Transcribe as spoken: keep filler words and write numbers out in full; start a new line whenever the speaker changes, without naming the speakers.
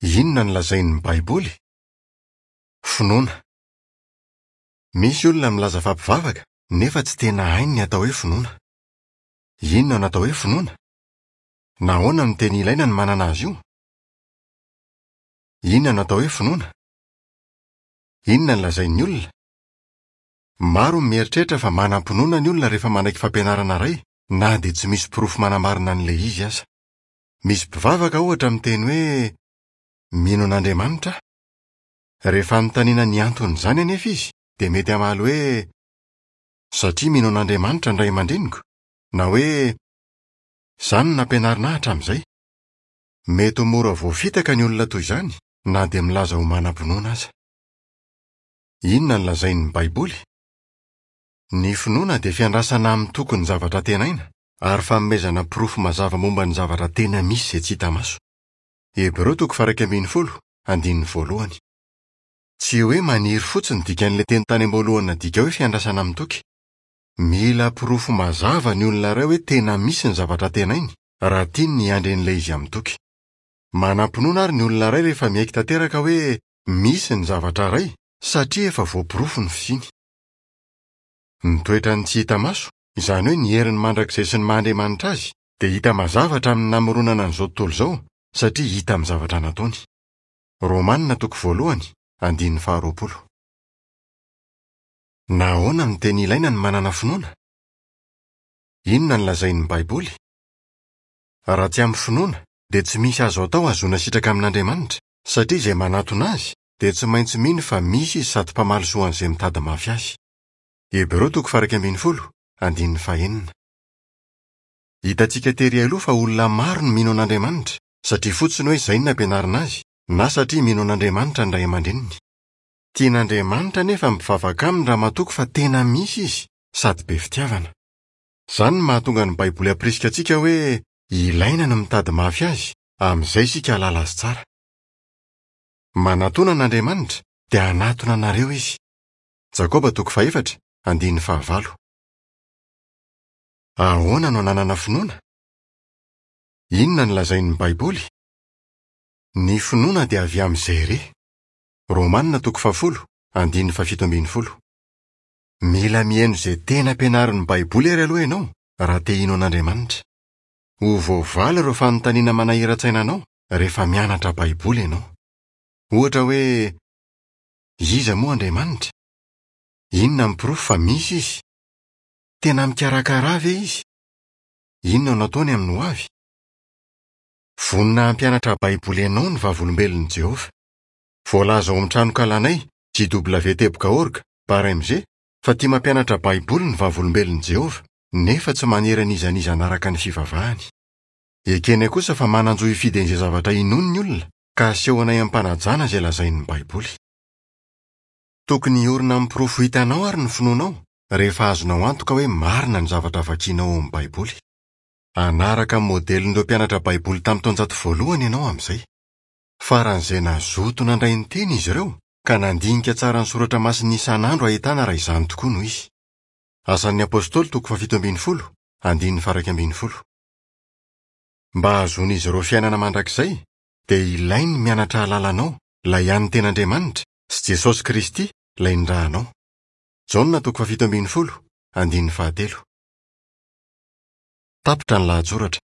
Inona no lazain'ny Baiboly? Finoana. Misy olona milaza fa mpivavaka nefa tsy tena hainy ny atao hoe finoana. Inona no atao hoe finoana? Nahoana no tena ilaina ny manana azy io? Inona no atao hoe finoana? Inona no lazain'ny olona? Maro ny mieritreritra fa manam-pinoana ny olona rehefa manaiky fampianarana iray na dia tsy misy porofo manamarina an'ilay izy aza. Misy mpivavaka ohatra miteny hoe mino an'Andriamanitra aho. Rehefa anontaniana ny anton'izany anefa izy dia mety hamaly hoe satria mino an'Andriamanitra ny ray aman-dreniko na hoe izany no nampianarina ahy hatramin'izay. Mety ho mora voafitaka ny olona toy izany na dia milaza ho manam-pinoana aza. Inona no lazain'ny Baiboly? Ny finoana dia fiandrasana amin'ny toky ny zavatra antenaina ary fanomezana porofo mazava momba ny zavatra tena misy izay tsy hita maso. Hebreo toko faha-iraika ambin'ny folo, andininy voalohany. Tsy hoe maniry fotsiny dikan'ilay teny tany am-boalohany nadika hoe fiandrasana amin'ny toky. Mila porofo mazava ny olona iray hoe tena misy ny zavatra antenainy raha tiany ny hiandry an'ilay izy amin'ny toky. Manam-pinoana ary ny olona iray rehefa miaiky tanteraka hoe misy ny zavatra iray satria efa voaporofo ny fisiany. Ny toetrany tsy hita maso, izany hoe ny heriny mandrakizay sy ny maha-Andriamanitra azy, dia hita mazava hatramin'ny namoronana an'izao tontolo izao satria hita amin'ny zavatra nataony. Romanina toko voalohany, andininy faharoapolo. Nahoana no tena ilaina ny manana finoana? Inona no lazain'ny Baiboly? Raha tsy amin'ny finoana, dia tsy misy azo atao hahazoana sitraka amin'Andriamanitra, satria izay manatona azy dia tsy maintsy mino fa misy izy sady mpamaly soa an'izay mitady mafy azy. Hebreo toko faha-iraika ambin'ny folo, andininy fahenina. Hitantsika tery aloha fa olona maro no mino an'Andriamanitra, satria fotsiny hoe izay no nampianarina azy, na satria mino an'Andriamanitra ny ray aman-dreniny. Tian'Andriamanitra anefa ny mpivavaka aminy raha matoky fa tena misy izy sady be fitiavana. Izany no mahatonga ny Baiboly hampirisika antsika hoe ilaina ny mitady mafy azy, amin'izay isika hahalala azy tsara. Manatòna an'Andriamanitra dia hanatona anareo izy. Jakoba toko fahefatra, andininy fahavalo. Ahoana no ananana finoana? Inona no lazain'ny Baiboly? Ny finoana dia avy amin'izay re. Romanina toko fahafolo, andininy fahafito ambin'ny folo. Mila mihaino izay tena ampianarin'ny Baiboly àry aloha ianao raha te hino an'Andriamanitra. Ho voavaly ireo fanontaniana manahiran-tsaina anao rehefa mianatra Baiboly ianao. Ohatra hoe, iza moa Andriamanitra? Inona ny porofo fa misy izy? Tena mikarakara ve izy? Inona no ataony amin'ny hoavy? Vonona hampianatra Baiboly anao ny Vavolombelon'i Jehovah. Voalaza ao amin'ny tranokalanay jw.org barre mg fa tia mampianatra Baiboly ny Vavolombelon'i Jehovah nefa tsy manery an'iza n'iza hanaraka ny fivavahany. Ekenay kosa fa manan-jo hifidy an'izay zavatra inoany ny olona ka asehonay am-panajana izay lazain'ny Baiboly. Tokony hiorina amin'ny porofo hitanao ary ny finoanao rehefa azonao antoka hoe marina ny zavatra vakianao ao amin'ny Baiboly. Hanaraka ny modelin'ireo mpianatra Baiboly tamin'ny taonjato voalohany ianao amin'izay. Faran'izay nazoto nandray ny teny izy ireo ka nandinika tsara ny soratra masina isan'andro ahitana raha izany tokoa no izy. Asan'ny Apostoly toko fahafito ambin'ny folo, andininy faha-iraika ambin'ny folo. Mba hahazoan'izy ireo fiainana mandrakizay, dia ilainy ny mianatra hahalala anao, ilay hany tena Andriamanitra, sy Jesosy Kristy, ilay nirahanao. Jaona toko fahafito ambin'ny folo, andininy fahatelo. Tapitra ny lahatsoratra.